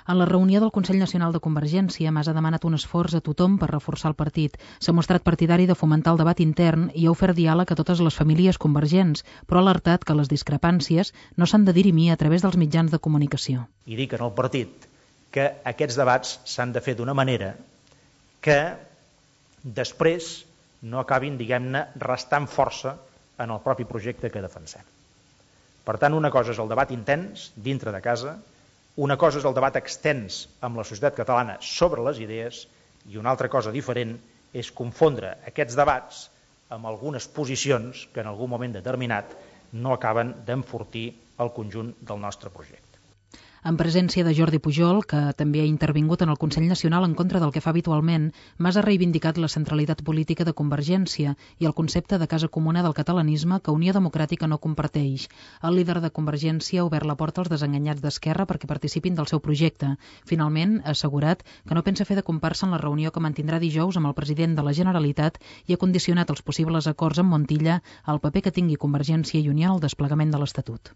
En la reunió del Consell Nacional de Convergència, Mas ha demanat un esforç a tothom per reforçar el partit. S'ha mostrat partidari de fomentar el debat intern i ha ofert diàleg a totes les famílies convergents, però ha alertat que les discrepàncies no s'han de dirimir a través dels mitjans de comunicació. I dic en el partit que aquests debats s'han de fer d'una manera que després no acabin, diguem-ne, restant força en el propi projecte que defensem. Per tant, una cosa és el debat intens dintre de casa, una cosa és el debat extens amb la societat catalana sobre les idees i una altra cosa diferent és confondre aquests debats amb algunes posicions que en algun moment determinat no acaben d'enfortir el conjunt del nostre projecte. En presència de Jordi Pujol, que també ha intervingut en el Consell Nacional en contra del que fa habitualment, Mas ha reivindicat la centralitat política de Convergència i el concepte de casa comuna del catalanisme que Unió Democràtica no comparteix. El líder de Convergència ha obert la porta als desenganyats d'Esquerra perquè participin del seu projecte. Finalment, ha assegurat que no pensa fer de comparsa en la reunió que mantindrà dijous amb el president de la Generalitat i ha condicionat els possibles acords amb Montilla al paper que tingui Convergència i Unió en el desplegament de l'Estatut.